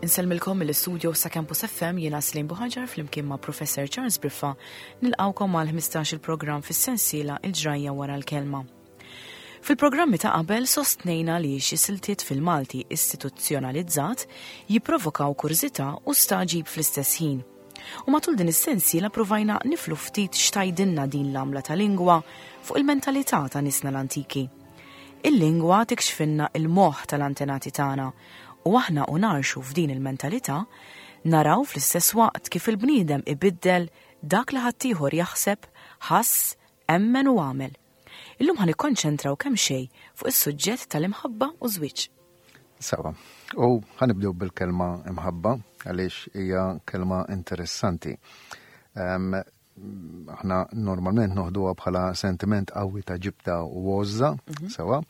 Insellmilkom mill-istudio sa' Campus FM jiena Slim Buħaġar flimkien ma' Professor Charles Briffa nilqawkom għal 15 il-programm fis-sensiela Il-ġrajja wara l-kelma. Fil-programmi ta' qabel sostnejna li xi siltiet fil-Malti istituzzjonalizzat jipprovokaw kurżità u stagħġib fl-istess ħin. U matul din is-sensiela provajna niflu ftit x'tajdilna din l-għamla ta' lingwa fuq il-mentalità ta' nisna l-antiki. Il-lingwa tikxfinna il-moħħ tal-antenati tagħna u aħna u narxu f'din il-mentalità, naraw fl-istess waqt kif il-bniedem ibiddel dak li ħaddieħor jaħseb, ħass, emmen u għamel. Illum ħa nikkonċentraw kemxejn fuq is-suġġett tal-imħabba u żwieġ. Sawa. U ħanibdew bil-kelma imħabba għaliex hija kelma interessanti. Aħna normalment noħduha bħala sentiment qawwi ta' ġibda u għożża, mhm. sewa.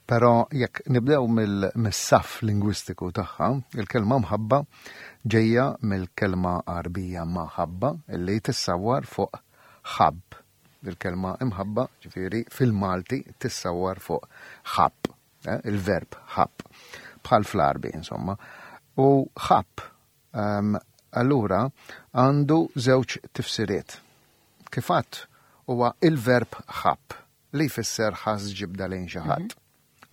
Però jekk nibdew mill-saff lingwistiku tagħha, il-kelma mħabba ġejja mill-kelma Għarbija maħabba illi tissawwar fuq ħabb. Il-kelma imħabba, ġifieri fil-Malti tissawwar fuq ħabb, eh, il-verb ħabb, bħal fl-Għarbi insomma. U ħabb ehm, allura għandu żewġ tifsiriet. Kif għadt huwa il-verb ħabb li jfisser ħass ġibda lejn xi ħadd. Mhm.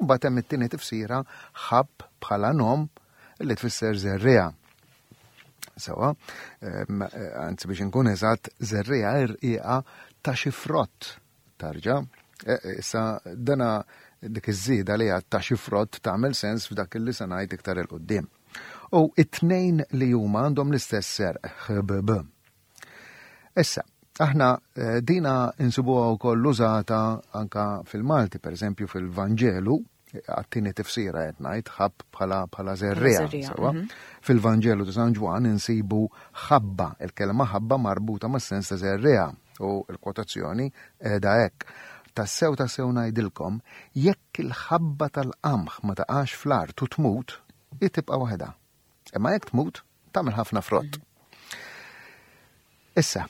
Mbagħad hemm it-tieni tifsira ħabb bħala nom li tfisser żerriegħa. Sewa, anzi biex inkun eżatt, żerriegħa irqiqa ta' xi frott tarġa. E, e, issa dana dik iż-żieda li għad ta' xi frott tagħmel sens f'dak li se ngħid iktar il qudiem U it-tnejn li huma għandhom l-istess serq ħbb. Issa, aħna eh, dina insibuha wkoll użata anka fil-Malti, per eżempju fil-Vanġelu, għattini tifsira qed ngħid ħabb bħala bħala żerriegħa. Mhm. Fil-Vanġelu ta' San Ġwann insibu ħabba, il-kelma ħabba marbuta mas-sens ta' żerriegħa u l-kwotazzjoni qiegħda hekk. Tassew tassew ngħidilkom, jekk il-ħabba tal-qamħ ma taqax fl-art u tmut, hi tibqa' waħedha. Imma jekk tmut, tagħmel ħafna frott. Issa,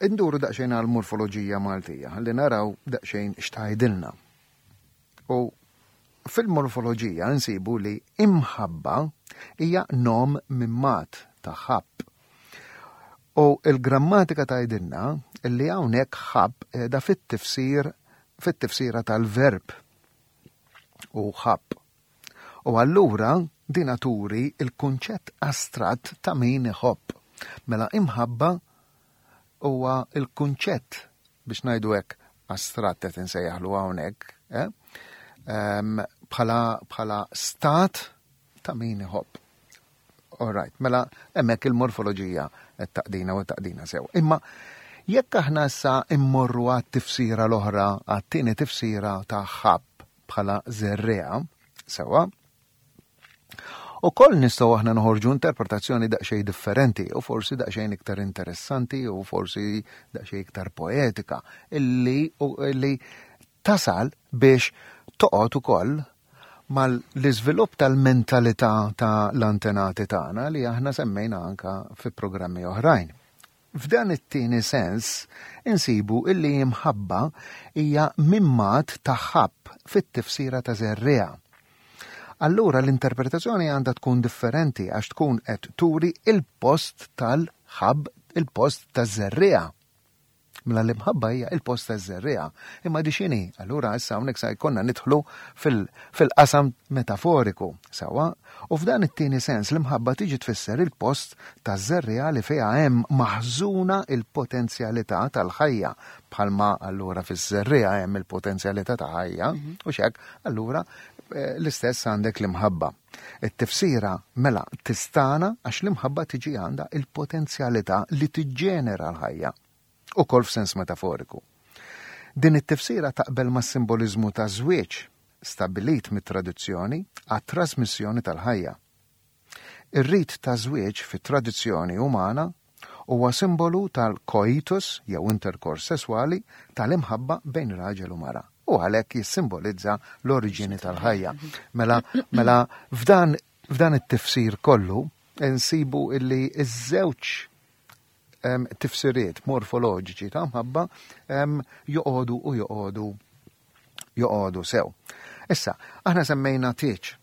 induru daqsxejn għal morfoloġija Maltija, ħalli naraw daqsxejn x'tgħidilna. U fil-morfoloġija nsibu li imħabba hija nom mimmat ta' ħabb. U il-grammatika tgħidilna li hawnhekk ħabb qiegħda fit-tifsir fit-tifsira tal-verb u ħabb. U allura dina turi il-kunċett astratt ta' min iħobb. Mela imħabba huwa il-kunċett biex ngħidu hekk astratt qed insejjaħlu hawnhekk, eh? bħala bħala stat ta' min iħobb. All right, mela hemmhekk il-morfoloġija qed taqdina u taqdina sew. Imma jekk aħna issa immorru għat-tifsira l-oħra, għat-tieni tifsira ta' ħabb bħala żerriegħa, sewwa, Ukoll nistgħu aħna noħorġu interpretazzjoni daqsxejn differenti u forsi daqsxejn iktar interessanti u forsi daqsxejn iktar poetika illi, illi tasal biex toqgħod ukoll mal-iżvilupp tal-mentalità ta' l-antenati tagħna li aħna semmejna anka fi programmi oħrajn. F'dan it-tieni sens insibu illi imħabba hija mimmat ta' ħabb fit-tifsira ta' żerriegħa. Allura l-interpretazzjoni għandha tkun differenti għax tkun qed turi il-post tal-ħabb, il-post taż-żerriegħa. Mela l-imħabba hija il-post taż-żerriegħa. Imma di x'inhi? Allura issa hawnhekk sa jkollna nidħlu fil-qasam metaforiku, sewwa? U f'dan it-tieni sens l-imħabba tiġi tfisser il-post taż-żerriegħa li fiha hemm maħżuna il-potenzjalità tal-ħajja. Bħalma allura fiż-żerriegħa hemm il-potenzjalità ta' ħajja, mhm. u x'hekk, allura eh, l-istess għandek l-imħabba. It-tifsira mela tistana għax l-imħabba tiġi għandha il-potenzjalità li tiġġenera l-ħajja, ukoll f'sens metaforiku. Din it-tifsira taqbel mas-simboliżmu taż-żwieġ stabbilit mit-tradizzjoni għat-trasmissjoni tal-ħajja. Ir-rit taż-żwieġ fit-tradizzjoni umana huwa simbolu tal-coitus jew interkors sesswali tal-imħabba bejn raġel u mara u għalhekk jissimbolizza l-oriġini tal-ħajja. Mela, mela f'dan f'dan it-tifsir kollu nsibu illi ż-żewġ tifsiriet morfoloġiċi ta' mħabba joqogħdu u joqogħdu joqogħdu sew. Issa, aħna semmejna tieġ.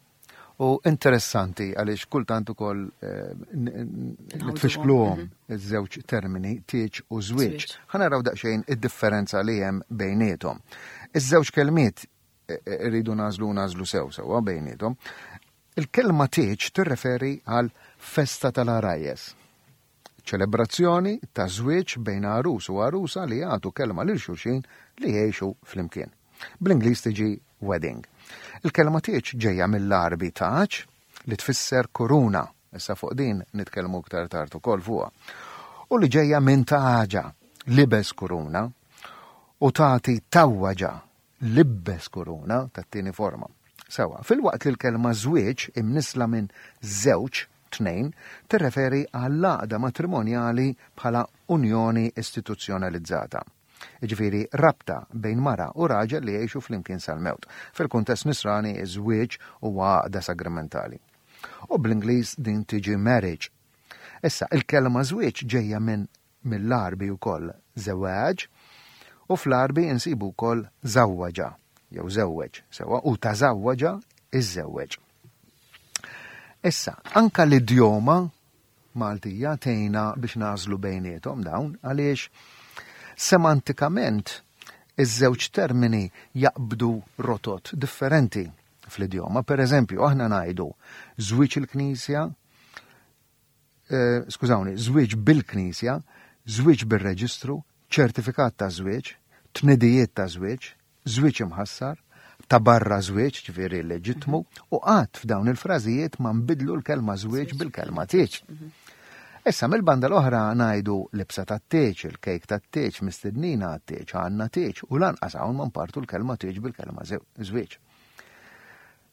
U interessanti għaliex kultant ukoll eh, nitfixkluhom mhm. iż-żewġ termini tieġ u żwieġ. Ħa naraw daqsxejn id-differenza li hemm bejniethom. Iż-żewġ kelmiet eh, eh, irridu nażlu nażlu sew sewwa bejniethom. Il-kelma tieġ tirreferi għal festa tal-għarajjes. Ċelebrazzjoni ta' żwieġ bejn għarus u għarusa li jagħtu kelma lil xulxin li jgħixu flimkien. Bl-Ingliż tiġi wedding. Il-kelma tieġ ġejja mill-Għarbi taġ li tfisser kuruna, issa fuq din nitkellmu iktar tard ukoll fuqha, u li ġejja minn taġa, libes kuruna, u tagħti tawwaġa, libbes kuruna tat-tieni forma. Sewa, filwaqt li l-kelma żwieġ imnissla minn żewġ, tnejn, tirreferi għall-għaqda matrimonjali bħala unjoni istituzzjonalizzata. Jiġifieri rabta bejn mara u raġel li jgħixu flimkien sal-mewt. Fil-kuntest nisrani ż-żwieġ huwa għaqda sagramentali. U bl-Ingliż din tiġi marriage. Issa, il-kelma żwieġ ġejja minn mill-Għarbi wkoll żewwaġ u fl-Għarbi insibu wkoll żawwaġa jew żewweġ sewwa u tażawwaġa iżżewweġ. Issa, anka l-idjoma Maltija tgħinna biex nagħżlu bejniethom dawn għaliex semantikament iż-żewġ termini jaqbdu rotot differenti fl-idjoma. Per eżempju, aħna ngħidu żwieġ il-Knisja, eh, skużawni, żwieġ bil-Knisja, żwieġ bir-reġistru, ċertifikat ta' żwieġ, tnidijiet ta' żwieġ, żwieġ imħassar, ta' barra żwieġ, ġifieri leġittmu, u qatt f'dawn il-frażijiet ma nbidlu l-kelma żwieġ bil-kelma tieġ. Issa mill-banda l-oħra ngħidu libsa tat-tieġ, il-kejk tat-tieġ, mistednina għat-tieġ, għandna tieġ, u lanqas hawn ma npartu l-kelma tieġ bil-kelma żwieġ.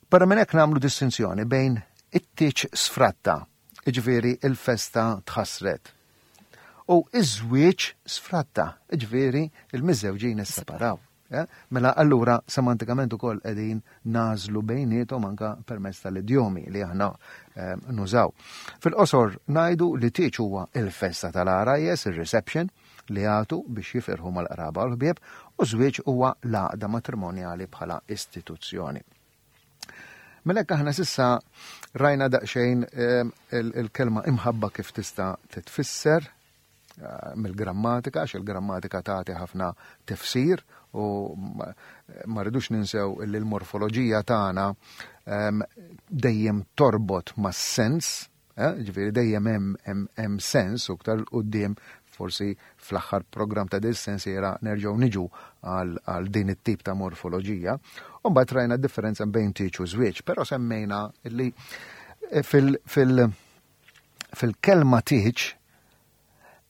Barra minn hekk nagħmlu distinzjoni bejn it-tieġ sfratta, jiġifieri l-festa tħassret, u iż-żwieġ sfratta, jiġifieri l-miżżewġin isseparaw. Eh? Mela allura semantikament ukoll qegħdin nażlu bejniethom anka permezz tal-idjomi li aħna eh, nużaw. Fil-qosor ngħidu li tieġ huwa il-festa tal-għarajjes, ir-reception, li jagħtu biex jifirħu mal-qraba u l-ħbieb, u żwieġ huwa l-għaqda matrimonjali bħala istituzzjoni. Mela hekk aħna sissa rajna daqsxejn ehm, il-kelma imħabba kif tista' titfisser eh, mill-grammatika, għax il-grammatika tagħti ħafna tifsir u ma rridux ninsew li l-morfoloġija tagħna ehm, dejjem torbot mas-sens Eh, ġifieri dejjem hemm sens u ktar quddiem forsi fl-aħħar programm ta' dis sensiera nerġgħu niġu għal din it-tip ta' morfoloġija. U mbagħad rajna differenza bejn tieġ u żwieġ, però semmejna li eh, fil-kelma tieġ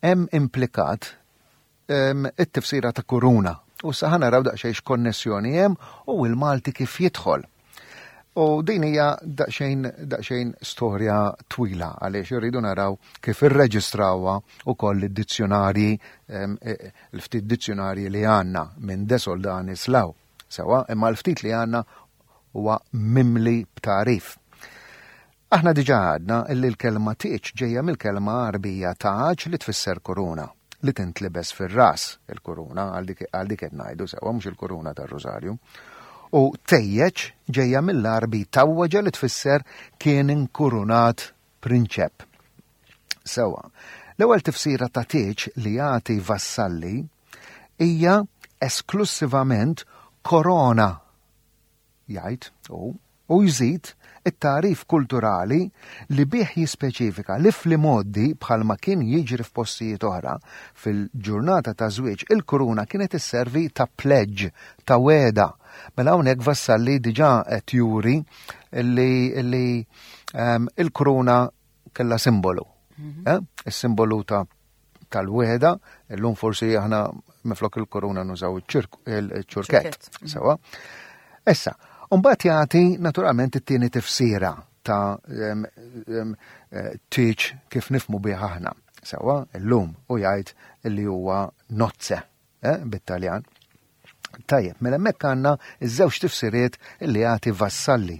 hemm implikat it-tifsira ta' kuruna. U sa ħa naraw daqsxejn x'konnessjoni hemm u l-Malti kif jidħol. U din hija daqsxejn daqsxejn storja twila għaliex irridu naraw kif irreġistrawha wkoll id-dizzjonarji e, l-ftit dizzjonarji li għandna minn De Soldanis law. Sewa, imma l-ftit li għandna huwa mimli b'tagħrif. Aħna diġà għadna illi l-kelma tieġ ġejja mill-kelma Għarbija taġ li tfisser kuruna, li tintlibes fir-ras, il-kuruna, għal dik għal dik qed ngħidu sewwa mhux il-kuruna tar-rużarju. U tejjeġ ġejja mill-Għarbi tawwaġa li tfisser kien inkurunat prinċep. Sewwa. L-ewwel tifsira ta' tieġ li jagħti Vassalli hija esklussivament korona jgħid hu, u jżid it-tagħrif kulturali li bih jispeċifika li fl-imgħoddi bħalma kien jiġri f'postijiet oħra, fil-ġurnata ta' żwieġ il-kuruna kienet isservi ta' pledge, ta' wegħda. Mela hawnhekk Vassalli diġà qed juri li, li um, il-kuruna kellha simbolu. Mm -hmm. eh? Is-simbolu ta' tal-wehda, illum forsi aħna miflok il-koruna nużaw il-ċurkett. Mhm. Sewa. Issa, mbagħad jagħti naturalment it-tieni tifsira ta' eh, tieġ kif nifmu bih aħna. Sewa, illum u jgħid li huwa nozze eh, bit-Taljan. Tajjeb, mela hemmhekk għandna iż-żewġ tifsiriet li jagħti Vassalli.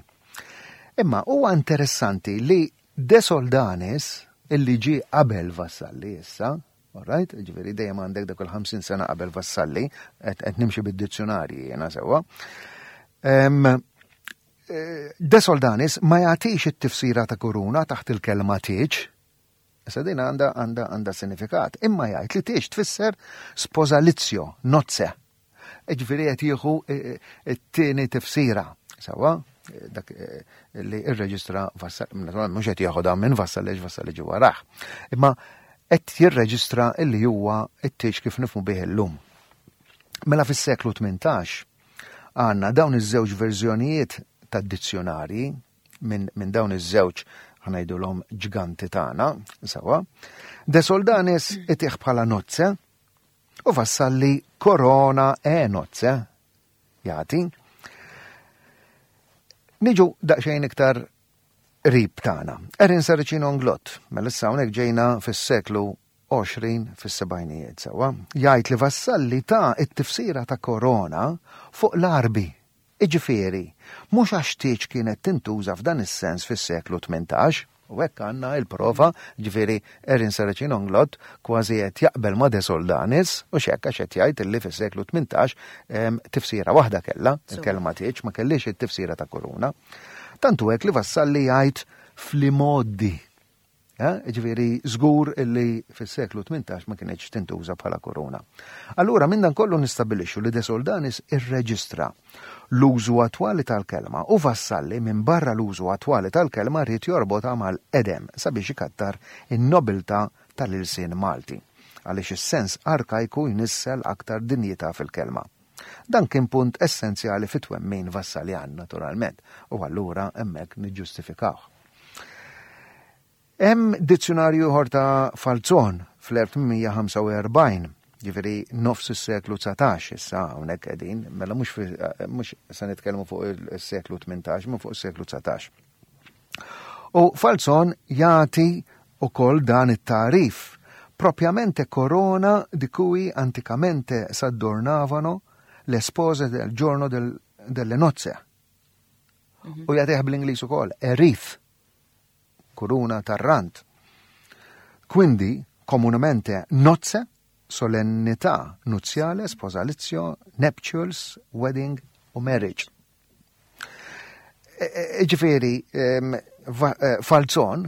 Imma huwa interessanti li De Soldanis, illi ġie qabel Vassalli issa, all right, ġifieri dejjem għandek dak il-50 sena qabel Vassalli, qed nimxi bid-dizzjonarji jiena sewwa. De Soldanis ma jagħtix it-tifsira ta' kuruna taħt il-kelma tieġ. Issa din għandha għandha għandha sinifikat. Imma jgħid li tieġ tfisser sposalizio, nozze. Ġifieri qed jieħu t-tieni tifsira. Sawa, dak li irreġistra Vassalli, naturalment mhux qed jieħodha minn Vassalli għax Vassalli ġie warah. Imma qed jirreġistra li huwa t-tieġ kif nifhmu bih illum. Mela fis-seklu 18 għandna dawn iż-żewġ verżjonijiet tad-dizzjonarji minn min dawn iż-żewġ ħanajdulhom ġganti tagħna, sawa. De Soldanis itih bħala nozze u Vassalli korona e nozze jagħti. Niġu daqsxejn iktar qrib tagħna. Erin Saracino Nglott, mela issa hawnhekk ġejna fis-seklu 20 fis-sebgħinijiet sewwa, jgħid li Vassalli ta t-tifsira ta' korona fuq l-Għarbi, jiġifieri, mhux għax tieġ kienet tintuża f'dan is-sens fis-seklu 18, u hekk għandna l-prova, jiġifieri Erin Saracino Nglott kważi qed jaqbel ma' De Soldanis, hux hekk għax qed jgħid illi fis-seklu 18 tifsira waħda kellha, il-kelma tieġ ma kellhiex it-tifsira ta' kuruna. Tant hu hekk li Vassalli jgħid fl-imgħoddi. Eh, ġifieri żgur illi fis-seklu 18 ma kienx tintuża bħala korona. Allura minn dan kollu nistabilixxu li De Soldanis irreġistra l-użu attwali tal-kelma u Vassalli minn barra l-użu attwali tal-kelma rrid jorbotha mal-qedem sabiex ikattar in-nobiltà tal-ilsien Malti għaliex is-sens arkajku jnissel aktar dinjità fil-kelma. Dan kien punt essenzjali fit-twemmin Vassaljan, naturalment, u allura hemmhekk niġġustifikawh. Hemm dizzjunarju ieħor ta' Falzon fl-1845, ġifieri nofs is-seklu 19 issa hawnhekk qegħdin, mela mhux mhux se nitkellmu fuq is-seklu 18, ma fuq is-seklu 19. U Falzon jagħti ukoll dan it-tagħrif propriamente corona di cui anticamente s'adornavano le spose del giorno del, delle nozze. Mhm. U jagħtih bl-Ingliż ukoll, a wreath, kuruna tar-rant. Quindi, comunemente nozze, solennità nuziale, sposalizio, nuptials, wedding u marriage. E, e, ġifieri, e, Falzon,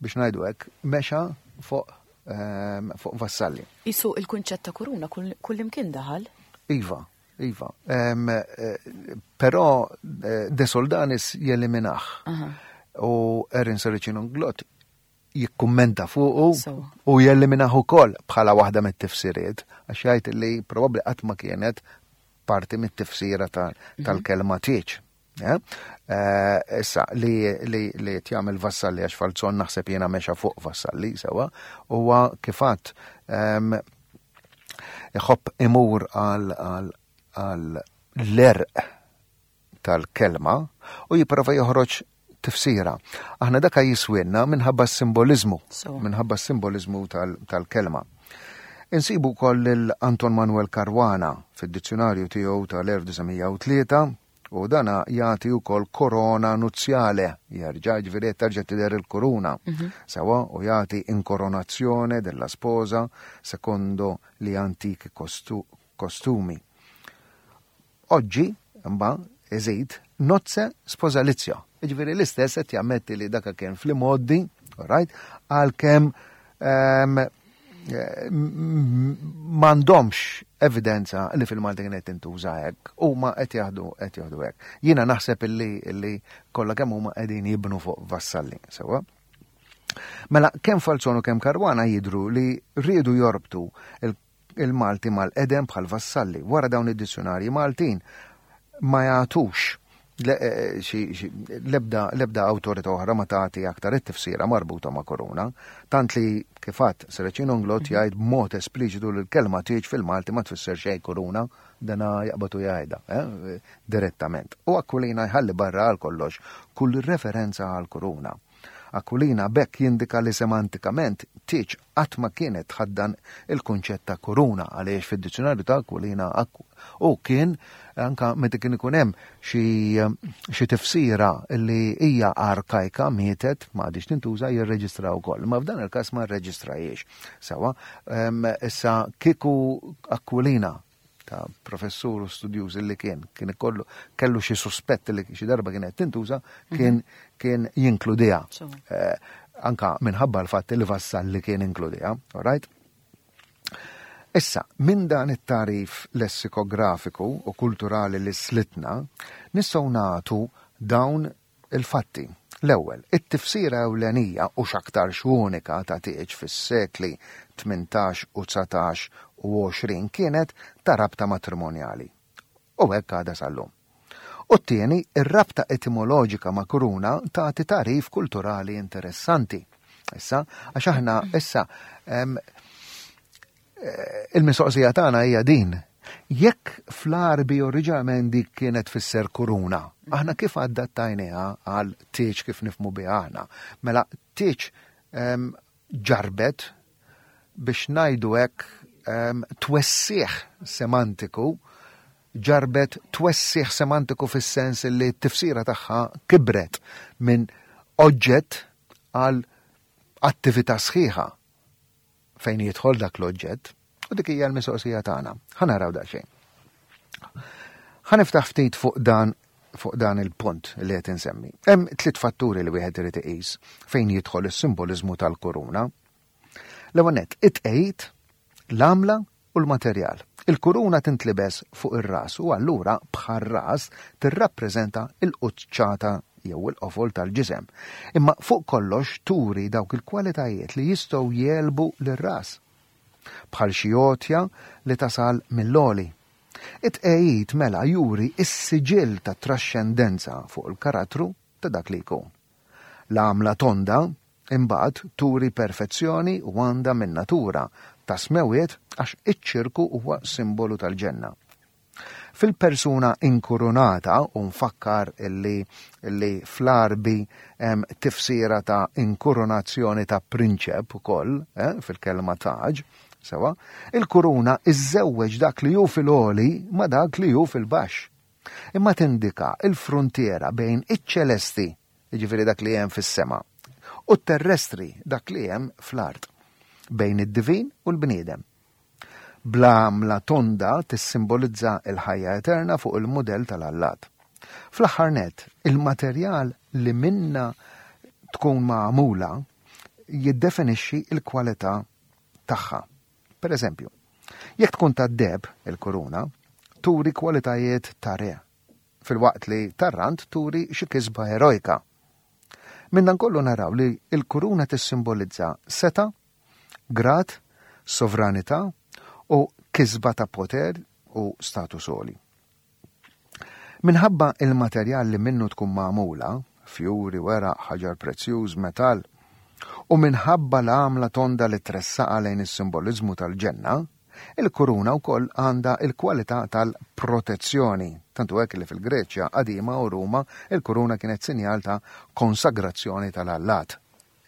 biex ngħidu hekk, mexa fuq fuq Vassalli. Isu il-kunċett ta' kuruna kullimkien daħal? Iva, iva. Però De Soldanis jeliminaħ. U Erin Saracino Glott jikkummenta fuqu u jeliminaħ ukoll bħala waħda mit-tifsiriet, għax jgħid li probabbli qatt ma kienet parti mit-tifsira mhm. tal-kelma tieċ. Eh? Eh, issa, li li li jagħmel Vassalli għax Falzon naħseb jiena mexa fuq Vassalli sewa, huwa kifat ehm, iħobb imur għal l-erq tal-kelma u jipprova joħroġ tifsira. Aħna daka jiswinna minħabba s-simboliżmu, minħabba s-simboliżmu tal-kelma. Insibu wkoll lil Anton Manuel Caruana fid-dizzjonarju tiegħu tal-1903 u dana jagħti wkoll korona nuzzjale, jerġa' ġifieri qed terġa' tidher il-kuruna. Mhm. Sewa u jagħti inkoronazzjone della sposa secondo li antichi kostumi. Oggi, imma, iżid, nozze sposalizio. Jiġifieri l-istess qed jammetti li daka kien fl-imgħoddi, right, għalkemm ehm, m'għandhomx evidenza li fil-Malti kienet tintuża hekk, huma qed jaħdu qed jaħdu hekk. Jiena naħseb illi illi kollha kemm huma qegħdin jibnu fuq Vassalli, sewwa. Mela kemm Falzon u kemm Caruana jidhru li riedu jorbtu il-Malti mal-qedem bħal Vassalli. Wara dawn id-dizzjunarji Maltin ma jagħtux eh, l-ebda l-ebda awtorità oħra ma tagħti aktar it-tifsira marbuta ma' korona, tant li kif għadt Serracino Inglott mhm. jgħid b'mod espliċitu li l-kelma tieġ fil-Malti ma tfisser xejn korona, dana jaqbatu jgħidha eh, direttament. U Aquilina jħalli barra għal kollox kull referenza għal korona. Aquilina b'hekk jindika li semantikament tieġ qatt ma kienet tħaddan il-kunċett ta' kuruna għaliex fid-dizzjunarju ta' Aquilina hu kien anka meta kien ikun hemm xi tifsira li hija arkajka mietet ma għadhiex tintuża jirreġistra wkoll. Ma f'dan il-każ ma rreġistrajiex. Sewa, issa kieku Aquilina. ta' professur u studjuż li kien kien ikollu kellu xi suspett li xi darba kienet tintuża kien mhm. kien jinkludiha. Eh, anka minħabba l-fatt li Vassalli kien inkludiha, all right? Issa, minn dan it-tagħrif lessikografiku u kulturali li slitna, nistgħu nagħtu dawn il-fatti. L-ewwel, it-tifsira ewlenija u x'aktarx unika ta' tieġ fis-sekli 18 u 19 u 20 kienet ta' rabta matrimonjali. U hekk għadha sal-lum. U t-tieni, ir-rabta etimoloġika ma' kuruna tagħti tagħrif kulturali interessanti. Issa, għax aħna issa eh, il-mistoqsija tagħna hija din. Jekk fl-Għarbi oriġinalment dik kienet tfisser kuruna, aħna kif adattajniha għal tieġ kif nifmu biha aħna? Mela tieġ ġarbet biex ngħidu hekk twessiħ semantiku ġarbet twessiħ semantiku fis-sens li t-tifsira tagħha kibret minn oġġett għal attività sħiħa fejn jidħol dak l-oġġett. U dik hija l-mistoqsija tagħna. Ħa naraw daqsxejn. Ħa niftaħ ftit fuq dan fuq dan il-punt li qed insemmi. Hemm tliet fatturi li wieħed irid iqis fejn jidħol is-simboliżmu tal-kuruna. L-ewwel nett, it-tqegħid, l-għamla u l-materjal. Il-kuruna tintlibes fuq ir-ras u allura bħar-ras tirrappreżenta l-quċċata jew il-qofol tal-ġisem. Imma fuq kollox turi dawk il-kwalitajiet li jistgħu jegħlbu lir-ras. Bħal xi għotja li tasal mill-għoli. It-tqegħid mela juri s-siġill tat-traxxendenza fuq il-karattru ta' dak li jkun. L-għamla tonda, imbagħad, turi perfezzjoni u għandha min-natura ta' smewwiet għax iċ-ċirku huwa simbolu tal-ġenna. Fil-persuna inkurunata, u nfakkar illi li fl-Għarbi hemm tifsira ta' inkurunazzjoni ta' prinċep ukoll, eh, fil-kelma taġ, sewa, il-kuruna iżżewweġ dak li hu fil-għoli ma' dak li hu fil-baxx. Imma tindika l-fruntiera bejn iċ-ċelesti, jiġifieri dak li hemm fis-sema, u t-terrestri, dak li hemm fl-art, bejn id-divin u l-bniedem. Bl-għamla tonda tissimbolizza l-ħajja eterna fuq il-mudell tal-allat. Fl-aħħar nett, il-materjal li minnha tkun magħmula jiddefinixxi l-kwalità tagħha. Per eżempju, jekk tkun tad-deheb, il-kuruna, turi kwalitajiet ta' re, filwaqt li tar-rand turi xi kisba erojka. Minn dan kollu naraw li l-kuruna tissimbolizza setgħa, grad, sovranità u kisba ta' poter u status għoli. Minħabba il-materjal li minnu tkun magħmula, fjuri, weraq, ħaġar prezzjuż, metall, u minħabba l-għamla tonda li tressaqa lejn is-simboliżmu tal-ġenna, il-kuruna wkoll għandha l-kwalità tal-protezzjoni. Tant hu hekk li fil-Greċja qadima u Ruma il-kuruna kienet sinjal ta' konsagrazzjoni tal-allat.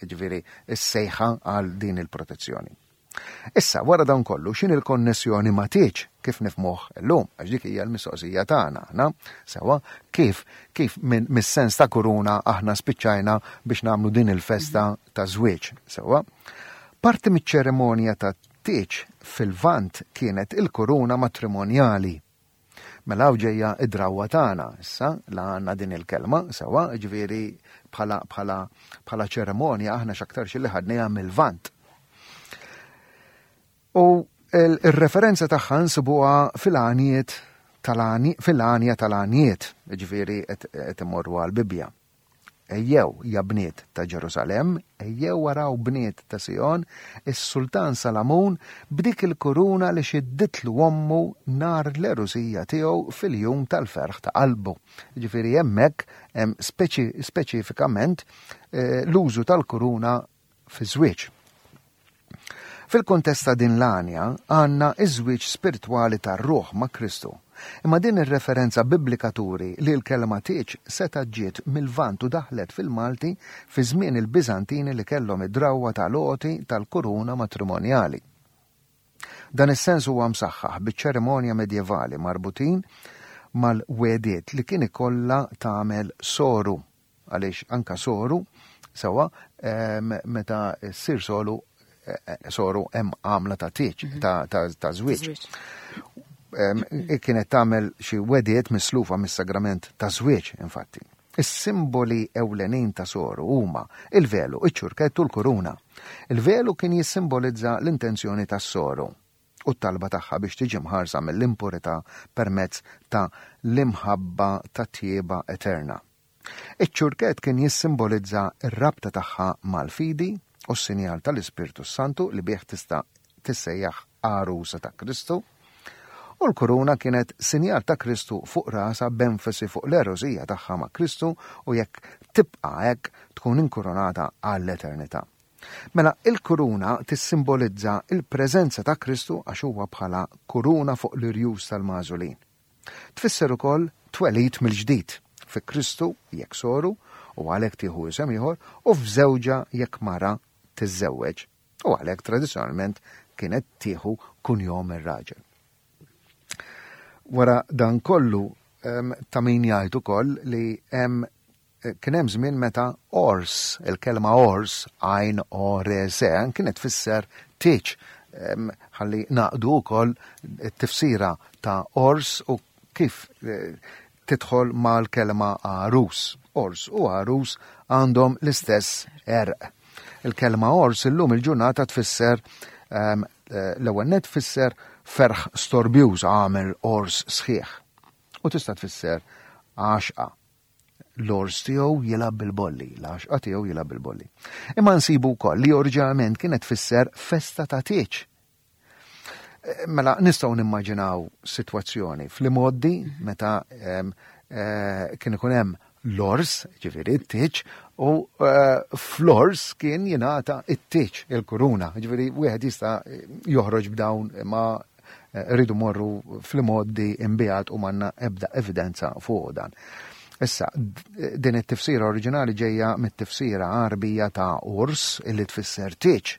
Jiġifieri s-sejħa għal din il-protezzjoni. Issa, wara dan kollu, x'inhi l-konnessjoni ma' tieġ kif nifhmuh illum? Għax dik hija l-mistoqsija tagħna aħna, sewwa, kif kif minn mis-sens ta' kuruna aħna spiċċajna biex nagħmlu din il-festa ta' żwieġ, sewwa? Parti miċ-ċerimonja ta' tieġ fil-Lvant kienet il-kuruna matrimonjali. Mela hawn ġejja id-drawwa tagħna issa la għandna din il-kelma sewwa, ġifieri bħala bħala bħala ċerimonja aħna x'aktarx li ħadniha mill-Lvant. U il-referenza tagħha nsibuha fil-għaniet fil-għanja tal-għaniet, ġifieri qed imorru għall-Bibbja. Ejjew, ja bniet ta' Ġerusalemm, ejjew araw bniet ta' Sijon, is-sultan Salamun b'dik il-kuruna li xidditlu ommu nhar l-għerusija tiegħu fil-jum tal-ferħ ta' qalbu. Jiġifieri hemmhekk hemm speċifikament eh, l-użu tal-kuruna fiż-żwieġ. Fil-kuntest ta' din l-għanja għandna ż-żwieġ spirtwali tar-ruħ ma' Kristu. Imma din ir-referenza biblika turi li l-kelma tieġ setgħet ġiet mil-Lvant u daħlet fil-Malti fi żmien il-Biżantini li kellhom id-drawwa tal-għoti tal-kuruna matrimonjali. Dan is-sens huwa msaħħaħ biċ-ċerimonja medjevali marbutin mal-wegħdiet li kien ikollha tagħmel soru Għaliex anka soru, sewa, meta ssir solu, eh, eh, soru hemm għamla ta' tieġ, mhm. ta' żwieġ. Kienet tagħmel xi wediet mislufa mis-sagrament ta' żwieġ, infatti. Is-simboli ewlenin ta' soru huma il-velu, iċ-ċurkett u l-kuruna. Il-velu kien jissimbolizza l-intenzjoni tas-soru u t-talba tagħha biex tiġi mħarsa mill-impurità permezz ta' l-imħabba ta' tjieba eterna. Iċ-ċurkett kien jissimbolizza r-rabta tagħha mal-fidi u s-sinjal tal-Ispirtu s-Santu li bih tista' tissejjaħ għarusa ta' Kristu. U l-kuruna kienet sinjal ta' Kristu fuq rasha b'enfasi fuq l-għerusija tagħha ma' Kristu u jekk tibqa' hekk tkun inkurunata għall-eternità. Mela il-kuruna tissimbolizza l-preżenza ta' Kristu għax huwa bħala kuruna fuq l-irjus tal-magħżulin. Tfisser ukoll twelid mill-ġdid, fi Kristu jekk soru u għalhekk tieħu isem ieħor u f'żewġha jekk mara tiżżewweġ u għalhekk tradizzjonalment kienet tieħu kunjom ir-raġel. Wara dan kollu ta' min jgħid ukoll li hemm Kien hemm żmien meta ors, il-kelma ors, għajn o r s, kienet tfisser tieġ. Ħalli naqdu wkoll it-tifsira ta' ors u kif eh, tidħol mal-kelma għarus. Ors u għarus għandhom l-istess erq. Il-kelma ors illum il-ġurnata tfisser eh, l-ewwel net tfisser ferħ storbjuż għamel ors sħiħ. U tista' tfisser għaxqa. L-ors tiegħu jilgħab bil-bolli, l-għaxqa tiegħu jilgħab bil-bolli. Imma nsibu wkoll li oriġinalment kienet tfisser festa ta' tieġ. Eh, mela nistgħu nimmaġinaw sitwazzjoni fl-imoddi meta eh, kien ikun hemm l-ors, ġifieri t-tieġ, u eh, fl-ors kien jingħata t-tieġ, il-kuruna, ġifieri wieħed jista' joħroġ b'dawn ma rridu morru fl-imgħoddi imbiegħed u m'għandna ebda evidenza fuq dan. Issa, din it-tifsira oriġinali ġejja mit-tifsira Għarbija ta' urs illi tfisser tieġ.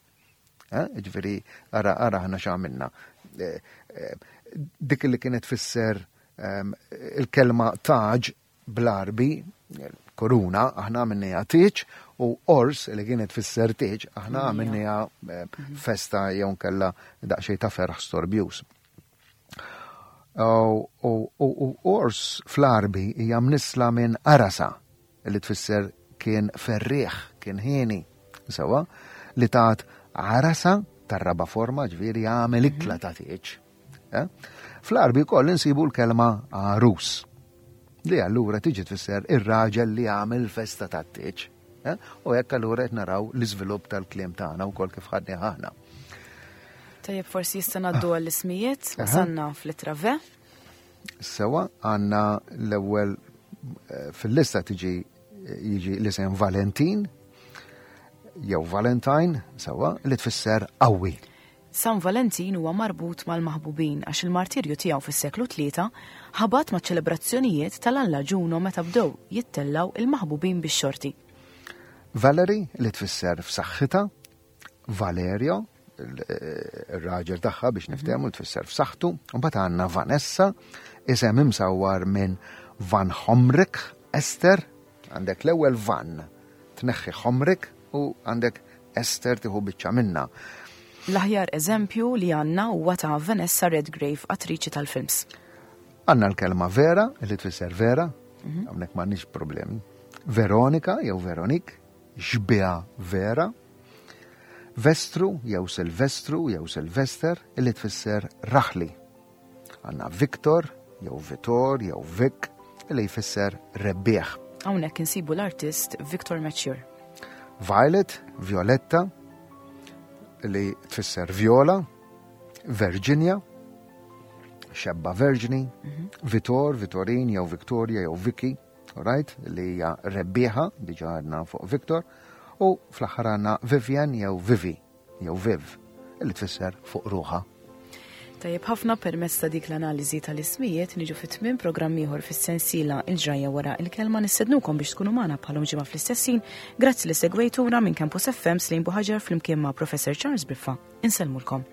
Eh, ġifieri, ara ara ħna x'għamilna. Eh, eh, dik li kienet tfisser ehm, il-kelma taġ bl-Għarbi, kuruna, aħna għamilniha tieġ u ors li kienet tfisser tieġ, aħna għamilniha eh, mhm. festa jew nkella daqsxejn ta' ferħ storbjuż. U ors fl-Għarbi hija mnissla minn arasa li tfisser kien ferrieħ, kien ħieni, sewa, li tat arasa tar-raba forma ġifieri għamel mhm. ikla ta' tieġ. Eh? Fl-Għarbi wkoll insibu l-kelma għarus li allura tiġi tfisser ir-raġel li għamel festa tat-tieġ. Eh? U hekk allura qed naraw l-iżvilupp tal-kliem tagħna wkoll kif ħadni aħna. Tajjeb forsi jista' ngħaddu għall-ismijiet, wasalna fl-ittra V. Sewa għandna l-ewwel eh, fil-lista tiġi jiġi l-isem Valentin jew Valentine, sewa, li tfisser qawwi. San Valentin huwa marbut mal-maħbubin għax il-martirju tiegħu fis-seklu tlieta ħabat maċ-ċelebrazzjonijiet tal-alla Ġuno meta bdew jittellgħu il-maħbubin bix-xorti. Valerie li tfisser f'saħħitha, Valerio, ir-raġel tagħha biex niftehmu li tfisser f'saħħtu, u mbagħad għandna Vanessa, isem imsawwar minn Van Homrich Esther, għandek l-ewwel Van Tneħħi ħomrik u għandek Ester tieħu biċċa minnha. L-aħjar eżempju li għandna huwa ta' Vanessa Redgrave, attriċi tal-films. Għandna l-kelma vera, li tfisser vera, mhm. hawnhekk m'għandniex problemi. Veronika jew Veronik, xbiha vera. Vestru jew Silvestru jew Silvester, li tfisser raħli. Għandna Victor, jew Vitor, jew Vic, li jfisser rebbieħ. Hawnhekk insibu l-artist Victor Mature. Violet, Violetta, li tfisser Viola, Virginia, xebba Verġni, mhm. Vitor, Vitorin, jew Victoria, jew Vicky, right, li hija rebbieħa, diġa għadna fuq Victor, u fl-aħħar għandna Vivian jew Vivi. jew viv, li tfisser fuq ruħha. Tajjeb ħafna permezz ta' dik l-analiżi tal-ismijiet niġu fit tmiem programm ieħor fis-sensiela Il-ġrajja wara il-kelma nistednukom biex tkunu magħna bħalhom ġimgħa fl-istess ħin. Grazzi li segwejtuna minn Campus FM Slim Buħaġar flimkien ma' Professor Charles Briffa. Insellmulkom.